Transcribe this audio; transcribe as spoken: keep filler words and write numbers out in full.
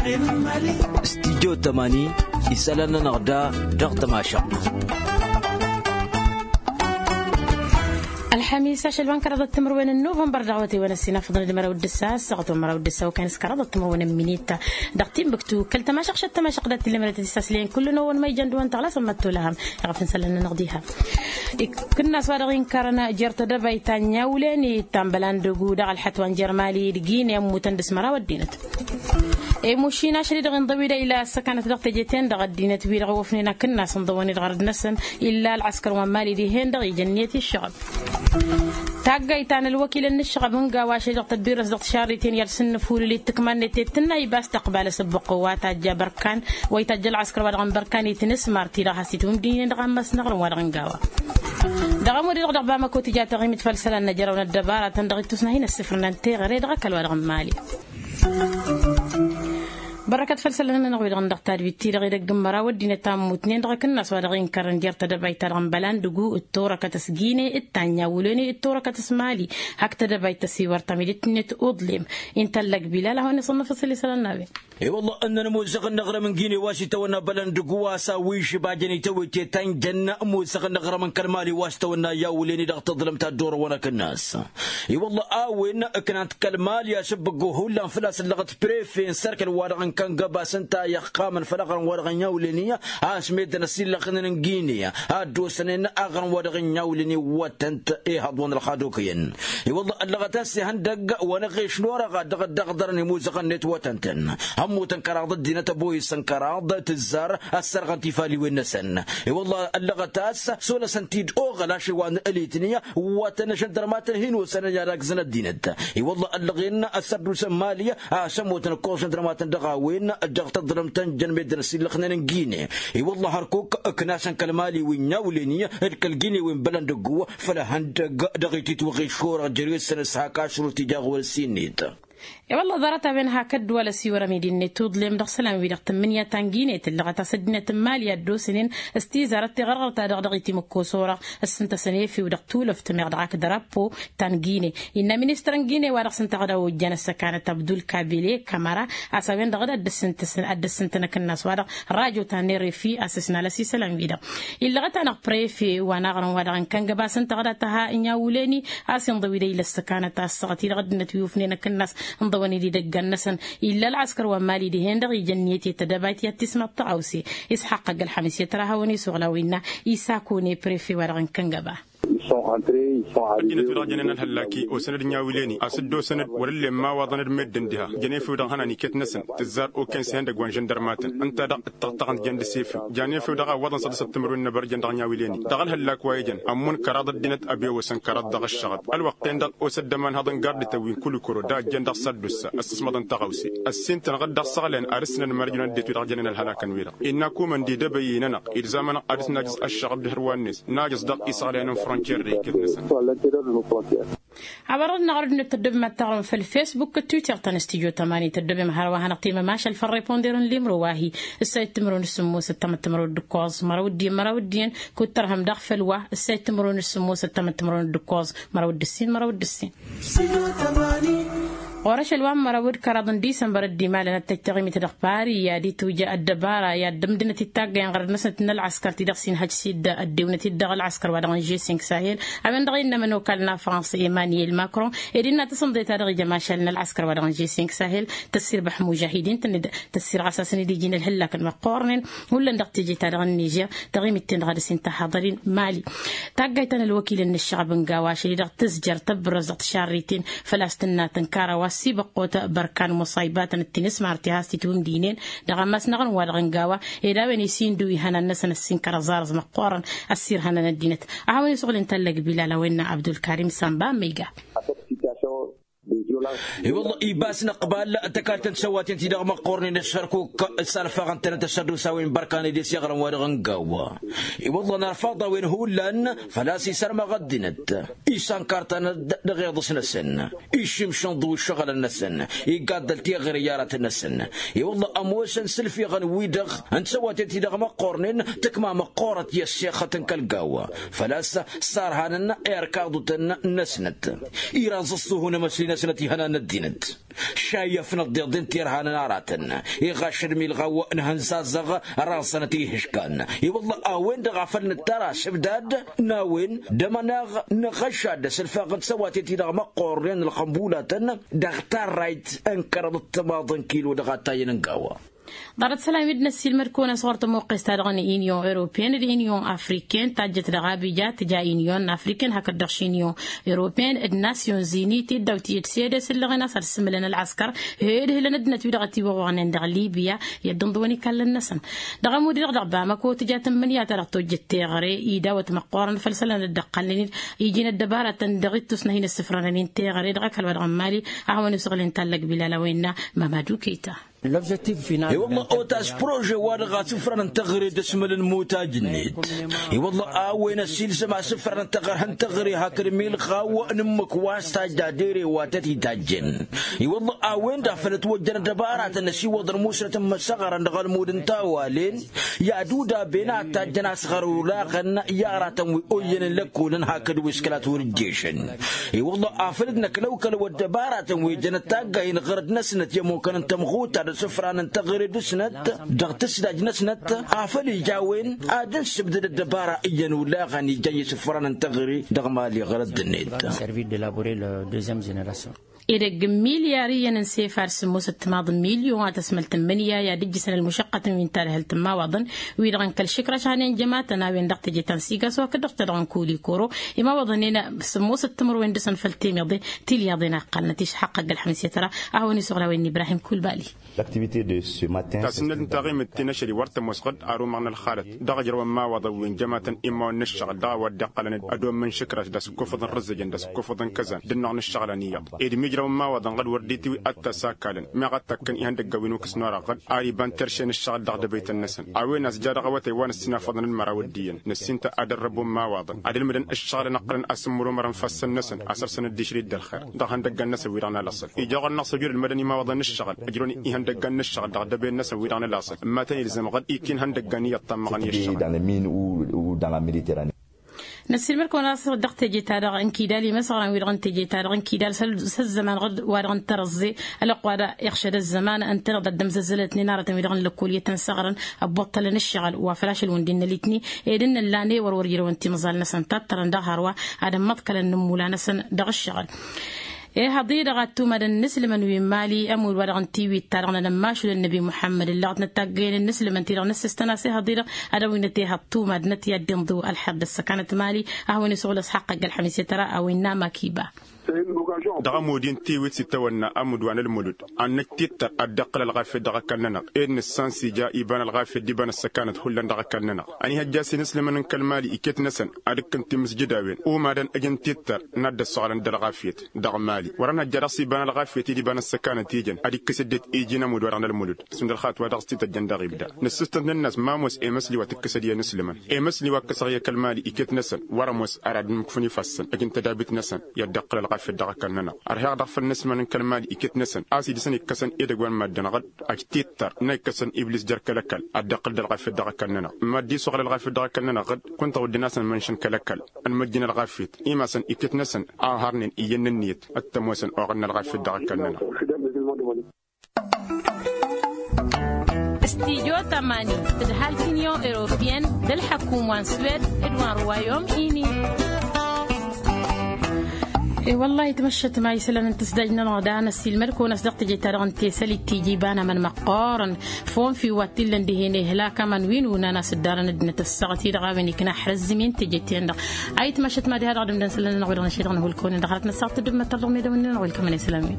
Studyo tămani isălan-nănăɣ da dăɣ-tămašăɣt. Ălxămis ašăl wa n-kăraḍăt timǝrwen n-nuvănbăr dăɣ-awătay wa n-ăssinafăḍăn d-măraw d-ǝssa ăssaɣăt wa n-măraw d-ǝssa okăyăn s-kăraḍăt timǝrwen n-minit. Dăɣ-timbǝktu kăl-tămašăɣt šăt tămašăɣt dat-tǝllem dăɣ-tisaslen kull n-ăwwăn ma ijăn d-wa n-tăɣlasăn măttolăhăm. Iɣăf n-isălan-nănăɣ diha ikǝnnas wa dăɣ-inkarăn jer-tedăbayt ta n-inyawǝlen i-ta n-bălandăgu dăɣ-ălxăt wa n-jer-mali d-gine ămmutăn dăɣ-s măraw ăddinăt. Imušin ašăl-i-dăɣ inḍăw-i-dăɣ ila ăssăkanăt dăɣ-teje-ten-dăɣ ăddinăt-wi-dăɣ ăwwăfnen akǝnnas ǝnḍăwăn-i-dăɣ ɣărăt-năsăn illa ălɣăskăr wa n-mali dihen-dăɣ ijăn niyăt iššăɣăb. Taggayt ta n-ălwăkilăn n-ǝššăɣăb n-gawa ašăl-i-dăɣ tădduras dăɣ-tišarriten i-ad-sǝnnǝfulǝl i-tǝkma-net i-tǝnna ibas tăqbal asǝbbăqqo wa tajja bărkan wa itajja ălɣăskăr wa dăɣ-n bărkan i-tinǝsmar ti-dăɣ has-itwǝmdǝynen dăɣ-ammas n-aɣrǝm wa dăɣ-n gawa. Dăɣ-ămudd-i-dăɣ dăɣ-bamăko tǝja taɣimit făll-isălan n-ejăraw n-ăddăbara-tăn dăɣ-ittus n-ad-hin-ăssifrǝnăn teɣăre dăɣ-ăkall wa dăɣ-n mali. Bărrăkăt făll-isălan-nănăɣ wi-dăɣ n-dăɣ-tadwit-ti-dăɣ edăgg n-măraw ăddinăt a ǝmmutnen dăɣ-akǝnnas wa dăɣ-inkărrăn jer-tedăbayt-ta-dăɣ n-bălandǝgu d-torăkăt s-gine d-ta n-inyawǝlen d-torăkăt s-mali. Hak tedăbayt tăsiwăr tamidit-net uḍlem. Intăllăg bilal a hawăn-iṣănnăf asăl isălan n-a-wen. I-wălla ǝnnăn ămoozăɣ n-aɣrǝm n-gine wa s-itawănna bălandǝgu a-s a-wa išbajăn itawăyte ta n-jănna ămoozăɣ n-aɣrǝm n-kăl-mali wa s-tawănna inyawǝlen-i dăɣ-tăḍlăm ta dd-orăwăn akǝnnas. I-wălla a-wen ǝknan-t kăl-mali asǝbbǝggo hullan făl-a-s ǝllăɣăt prefe n-sărkăl wa dăɣ-n kăngăbas ǝnta i-ăqqamăn făll-aɣrǝm wa dăɣ-inyawǝlen-i a-s meddǝn ăsillăɣnen n-gine a dd-osănen aɣrǝm wa dăɣ-inyawǝlen-i wătăn-t. Ihăḍ wa n-ălxad okăyăn. I-wălla ăllăɣăt a-s ihăndăgg wa n-aɣeš n-orăɣ a dd-ăɣdărăn imuzăɣăn-net wătăn-tăn. Ămmutăn kăraḍ ăddinăt ăboyǝsăn kăraḍ tǝzzar ăssărɣăn tifaliwen-năsăn. I-wălla ăllăɣăt a-s solăsăn-t-dd oɣăl ašăl wa n-ălitni wătăn ašăndărmatăn hin-osănăn i-ad-agzăn ăddinăt. I-wălla ăllăɣen ăssărdusăn mali a-s ămmutăn ǝkkoẓ ašăndărmatăn dăɣ-a-wen dăɣ-tăḍlăm ta n-jăn meddǝn ăsillăxnen n-gine. I-wălla hărkuk ǝknasăn kăl-mali wi n-inyawǝlen-i d-kăl-gine wi n-bălăn dăgg-uwă făll-ihăndăgg dăɣ-ititwăɣ išorăɣ jer-i-săn s-hak ašrut ija ɣur-ăssin-net. I-wălla ḍarăt-a-wen hak ăddăwalăs iwărăm idinnet tuḍlem dăɣ-isălan-wi-dăɣ tǝmmǝnǝya ta n-gine tǝllăɣăt a-s ăddinăt n-mali a dd-osnen s-tizarăt tiɣărɣărt-ta-dăɣ dăɣ-itimǝkkos orăɣ ǝssǝntăsăn efew dăɣ-tulăft meɣ dăɣ-ak dărapo ta n-gine. Innă ministăr n-gine wa dăɣ-s ǝnta ɣǝd a ojjan ăssăkanăt abdul kabile kamăra a-s a-wen-dăɣ dd-ăssǝntăsăn ad-dd-ăssǝntăn akǝnnas-wa-dăɣ rajo ta n-errefi a-s ăsnal ăsisălan-wi-dăɣ. Illăɣăt-anăɣ prefe wa n-aɣrǝm wa dăɣ-n kăngăbas ǝnta ɣǝd a tăha inyawǝlen-i a-s inḍăw-dd ila ăssăkanăt a ăssaɣăt-i-dăɣ ăddinăt wi ufnen akǝnnas ǝnḍăwăn-dd idăggan-năsăn. Illa ălɣăskăr wa n-mali dihen-dăɣ ijăn niyăt i-tădăbayt i-ad-tismaḍ tăɣawse. Isxaqq ăgg-ălxămis i-ad-tăra hawăn-isuɣǝl a-wa innă isakune prefe wa dăɣ-n kăngăba. Ăddinăt wi-dăɣ jănen ălhăllak-i osăn-dd inyawǝlen-i a-s dd-osăn-dd wăr-ǝllen imawaḍăn d-meddǝn diha. Jăn efew dăɣ-ihănan iket-năsăn tǝzzar okăyăn s-ihăndăgg wa n-žăndărmatăn ǝnta-dăɣ ǝttăɣtăɣăn-t jăn d-asefew. Jan efew dăɣ-a ǝwwăḍăn săḍǝsăt timǝrwen n-abărjăn dăɣ-inyawǝlen-i dăɣ-ălhăllak wa ijăn ămmun kăraḍ ăddinăt ăbewăsăn kăraḍ dăɣ-ǝššăɣăb. Ălwăqq-ten-dăɣ osă dd-ămanhăḍ n-gardităn wi n-kulikuro da ăjjăn dăɣ-săddusa ăssǝsmăḍăn tăɣawse. Ăssin-tăn ɣǝd dăɣ-săɣlăyăn ad-ǝsnăn mărjăn ăddinăt wi-dăɣ jănen ălhălak-ănwi-dăɣ innă kumăn d-idăbăyy-i-nănăɣ ilzam-anăɣ ad-ǝsnajǝs ăššăɣăb d-hărwa-net najăẓ dăɣ-isăɣlăyăn n-frăncer d-iket-năsăn. Awărăn-năɣ ărdǝnet tăddobem ad-taɣrǝm făll-fesbuk d-twitter ta n-studyo tămani tăddobem hărwa hanăɣ-timămašal făll-reponder n-limro wa hi-ǝssa ittimărwen d-sǝmmos ăttămăt timărwen d-ǝkkoẓ măraw d-iyyăn măraw d-iyyăn kud-tărhăm daɣ făll-wa ǝssa ittimărwen d-sǝmmos ăttămăt timărwen d-ǝkkoẓ măraw d-ǝssin măraw d-ǝssin. Ɣur-ašăl wa n-măraw d-kăraḍ n-disămbăr dd-imalăn ad-tăj taɣimit dăɣ-pari i-ad-itwǝjja ăddăbara i-ad-dd-ǝmdǝnăt ittaggăyăn ɣărăd-năsnăt n-ălɣăskăr ti-dăɣ s-inhăj s-dd-ăddewnăt-dd dăɣ-ălɣăskăr wa dăɣ-n žesink sahel. A-wen-dăɣ innă ămănokal n-afrans emmanuel macron ed innă tasǝnḍe ta dăɣ-ija mašal n-ălɣăskăr wa dăɣ-n žesink sahel tăssirbaḥ mužahidin-tăn-dd tăssirɣas-asăn-dd iji n-ǝlhǝllakăn măqqoornen. Hullan dăɣ-teje-ta-dăɣ n-nižer taɣimit-ten-dăɣ ad-dăr-s inta haḍăr-in mali. Taggayt ta n-ălwăkil n-ǝššăɣăb n-gawa ašăl-i-dăɣ tǝzjăr tăbbărăz dăɣ-tišarriten făl-a-s tǝnna tǝnkar a-wa s-ibăqqot bărkan muṣaybatăn d-tinǝsmar ti has-titwǝmdǝynen dăɣ-ammas n-aɣrǝm-wa-dăɣ n-gawa. Ed a-wen isindu ihănan-năsăn ăssinkăr ăẓẓarăẓ măqqoorăn ăssirhănăn ăddinăt. A hawăn-isuɣǝl inta ăllăg bilal a-wen n-abdulkarim samba ămmăyga. I-wălla ibas năqbal tăkaltăn tisăwaten-ti-dăɣ măqqoornen s-hărkuk s-alfaɣăn-tănăt ăssăddos a-wen bărkan ed i-s iɣrăm-wa-dăɣ n-gawa. I-wălla n-arfaḍ a-wen hullan făl-a-s isărmăɣ ăddinăt. Isankar-tănăt dăɣ-iḍǝs-năsăn išǝmšǝnḍǝw ǝššăɣǝlăn-năsăn. Igaddăl teɣăre i-aratăn-năsăn. I-wălla ămoosăn s-ǝlfiɣăn-wi-dăɣ n-tisăwaten-ti-dăɣ măqqoornen tǝkma măqqoorăt i-ăssexăt n-kăl-gawa. Făl-a-s sarhanăn i-ărkaḍutăn-năsnăt. Iraẓ ăṣṣuhu n-emăsli-năsnăt. ihănan ăddinăt šayyăfnăt deḍen tirhanăn aratăn. Iɣašăd milɣaw n-hăn zazăɣ raẓănăt ihǝžkan. I-wălla a-wen-dăɣ a făl nǝttar asǝbdad n-a-wen d-amănaɣ n-aɣăšad s-ălfaɣ n-tisăwaten-ti-dăɣ măqqornen ălxănbulatăn dăɣ-tarrayt n-kăraḍ d-timaḍ n-kilo dăɣ-attayăn n-gawa. Ḍarăt sălam-i d-năssiilmăd-kăwăn-as ɣur-tămoqqes-ta-dăɣ n-inyon europeyăn d-inyon afriken tajjăt dăɣ-abija tǝja inyon afriken hakd-dăɣ šinyon europeyăn d-nasyon zini tiddaw tiyyăt s-ed esǝllăɣen a-s ad-sǝmǝlăn ălɣăskăr. Hed hǝlăn ăddinăt-wi-dăɣ ătiwăɣoɣnen dăɣ-libya i-ăddinḍǝwăn ikallăn-năsăn dăɣ-ămud-i-dăɣ dăɣ-bamăko tǝja tǝmmǝnǝya ta dăɣ-tojjăt teɣăre idawăt măqqoorăn făll-isălan dd-ăqqalnen-dd iji n-ăddăbaratăn dăɣ-ittus n-ad-hin-ăssǝfrănăn-in teɣăre dăɣ-ăkall wa dăɣ-n mali. A hawăn-isăɣlăn tallăg bilal a-wa innă mamadu kayta. I-wălla otas prože-wa-dăɣ asǝfran n-teɣăre d-asmăl n-imutaj-net. I-wălla a-wen ăsilsăm asǝfran n-teɣăre hakd milɣaw n-ǝmmǝk wa s-tajja dere wa tăt-itajjen. I-wălla a-wen-dăɣ făl ătwăjjăn ăddăbaratăn ăsiwăḍăn musnăt n-imăsăɣrăn dăɣ-ălmud n-tawalen i-ad-udaben a tajjăn asɣăr olaɣăn i-aratăn wi oyyăn n-lăkkolăn hakd wi s-kăla turǝjješăn. I-wălla afăl dd-năklăwkălăw ăddăbaratăn wi jănăt taggay n-iɣărăd-năsnăt i-ămmukăn n-tămɣuta d-asǝfran n-teɣăre dăɣ-snăt dăɣ-tǝsdaj-năsnăt. Afăl ija a-wen ad-dd-ǝnsǝbdăd ăddăbara iyyăn olaɣăn ijăn isǝfran n-teɣăre dăɣ-mali ɣărăd-net. Edăgg n-milyar iyyăn n-sefar sǝmmosăt timaḍ n-milyon a tăsmăl tǝmmǝnǝya i-ad-ǝjjǝsăn ălmušăqqătăn wi n-talhălt n-imawaḍăn wi-dăɣ n-kăl-išǝkraš a hanen jămatăn a-wen dăɣ-teje ta n-sigaso hakd-dăɣ ta dăɣ-n kulikoro. Imawaḍăn-en sǝmmosăt timǝrwen dăɣ-săn făll-temiḍe tilyaḍen a ǝqqalnăt išăqqăgg ălxămǝs i-tăra. A hawăn-isuɣǝl a-wen n-ibrahim kulbali. Tasǝnnăt n-taɣimit ti n-ašăl i-wăr tămoos ɣǝd arumăɣ n-ălxalăt dăɣ-ijrăwăn imawaḍăn wi n-jămatăn immawăn n-ǝššăɣǝl dăɣ-a-wa dd-iqqălăn ăddommăn išǝkraš d-asǝkkofăḍ n-rǝzzăjăn d-asǝkkofăḍ n-kăzan d-ǝnneɣ n-ǝššăɣǝl ăniyyăḍ. Ed imi ǝjrăwăn imawaḍăn ɣǝd wăr dd-itiwǝy ad-t-ăsakkalăn meɣ ad-takkăn ihăndăggan wi n-ukǝs n-orăɣ ɣǝd ar iba n-terše n-ǝššăɣǝl dăɣ-dăbăytăn-năsăn. A-wen a-s ja dăɣ-awătay wa n-ǝssinafăḍăn n-măraw ăddiyyăn năssinta ad-ărrăbo n-imawaḍăn ad-ǝlmǝdăn ǝššăɣǝlăn ǝqqălăn asǝmmărumărăn ifassăn-năsăn a săr-săn ăddišrǝy d-ălxer. Dăɣ-ihăndăggan-năsăn wi-dăɣ n-alăṣṣăl ija ɣur-năɣ s-ojud ǝlmădăn imawaḍăn n-ǝššăɣǝl ǝjrăwăn ihăndăggan n-ǝššăɣǝl dăɣ-dăbăyăn-năsăn wi-dăɣ n-alăṣṣăl ǝmmatăn ilzăm ɣǝd ikin ihăndăggan iyyăḍ tammăɣăn i-ǝššăɣǝl. Năssiilmăd-kăwăn-as dăɣ-teje-ta-dăɣ n-kidal imăsɣăran-wi-dăɣ n-teje-ta-dăɣ n-kidal s-ăzzăman ɣǝd wa dăɣ-n tărăẓẓe ălwăqq wa dăɣ-iɣšăd ăzzăman ǝntăneḍ ad-dd-ămzăzzălătnen aratăn-wi-dăɣ n-lăkkol i-tăn-săɣrăn ăbbuṭṭălăn ǝššăɣǝl wa făl ašăl wǝndin n-ălitni ed ǝnnăllan ewăr wăr ijrăwăn timẓal-năsăn tattărăn dăɣ-hărwa ad-ămmăḍkălăn n-ǝmmula-năsăn dăɣ-ǝššăɣǝl. Ihăḍ-i-dăɣ ad-tumadăn inǝslǝmăn wi n-mali ămudd wa dăɣ-n tiwit-ta-dăɣ n-ad-ămmašul ănnăbi muḥămmăd ǝllăɣăt n-taggăyăn n-inǝslǝmăn-ti-dăɣ n-ǝssǝstăn a-s ihăḍ-i-dăɣ ad-ăwinăt ihăḍ tumadnăt i-ad-dd-inḍǝw ălḥer d-ăssăkanăt mali. A hawăn-isuɣǝl ăsxaqqăgg ălxămis i-tăra a-wa innă makiba. Dăɣ-ămud-i n-tiwit s-itawănna ămudd wa n-ălmulud ad-năj tittăr ad-dd-iqqǝl ălɣafyăt dăɣ-ăkall-nănăɣ ed nǝssan s-ija iba n-ălɣafyăt d-iba n-ăssăkanăt hullan dăɣ-ăkall-nănăɣ. Ăniihăjja a-s inǝslǝmăn n-kăl-mali iket-năsăn ad-ǝkkǝn timǝsjǝd a-wen umadăn ǝjǝn tittăr n-ad-dd-ăssoɣlăn d-ălɣafyăt. Dăɣ-mali wăr-ănhăjja dăɣ-s iba n-ălɣafyăt d-iba n-ăssăkanăt ijăn ad-ikkǝs ăddinăt iji n-ămudd wa dăɣ-nălmulud. S-imdălxat wa dăɣ-s tităjjăn dăɣ-ibda nǝssǝstăn-tăn-in-as ma ămoos emăsli wa tǝkkǝsăd i-inǝslǝmăn emăsli wa ǝkkăsăɣ i-kăl-mali iket-năsăn wăr-ămoos ar ad-ǝmmǝkfǝn ifassăn ăj n-tădabit-năsăn i-ad-dd-iqqǝl ălɣafyăt dăɣ-ăkall-nănăɣ. Ărheɣ dăɣ-făll-inǝslǝmăn n-kăl-mali iket-năsăn a-s idǝsăn ikkăsăn edăgg wa n-maddǝn ɣǝd ăj tittăr n-a ikkăsăn iblis jer-kăl-ăkall ad-dd-iqqǝl d-ălɣafyăt dăɣ-ăkall-nănăɣ. Mad-dd-isuɣǝl ălɣafyăt dăɣ-ăkall-nănăɣ ɣǝd kunta wădden a-s ănmănšăn kăl-ăkall ănmăjjăn ălɣafyăt imasăn iket-năsăn a harnen iyyăn n-ǝnniyăt. T-ămoosăn oɣăn n-ălɣafyăt dăɣ-ăkall-nănăɣ. Studio tămani tǝdhal t-inyon europeyăn d-ălḥăkum wa n-swed d-wa n-ruwayom ini. E-wăllah itmăššăt ma isălan n-tǝsdaj-nănăɣ da năssiilmăd-kăwăn-as dăɣ-teje-ta-dăɣ n-tesălit tiji iba n-amăn măqqoorăn fonfi wa t-illăn dihen ihlak aman wi n-unan a-s ǝddarăn ăddinăt ăssaɣăt-i-dăɣ a-wen ikna ăḥrăzzim i-n teje-ten-dăɣ. A itmăššăt ma diha dăɣ-dămdăn isălan-nănăɣ wi-dăɣ năšedăɣ năhulkăwăn-in-dăɣ hărăt n-ăssaɣăt tǝddǝmmăt tărdăɣ medăwăn-nănăɣ welkămăn isălan-wi.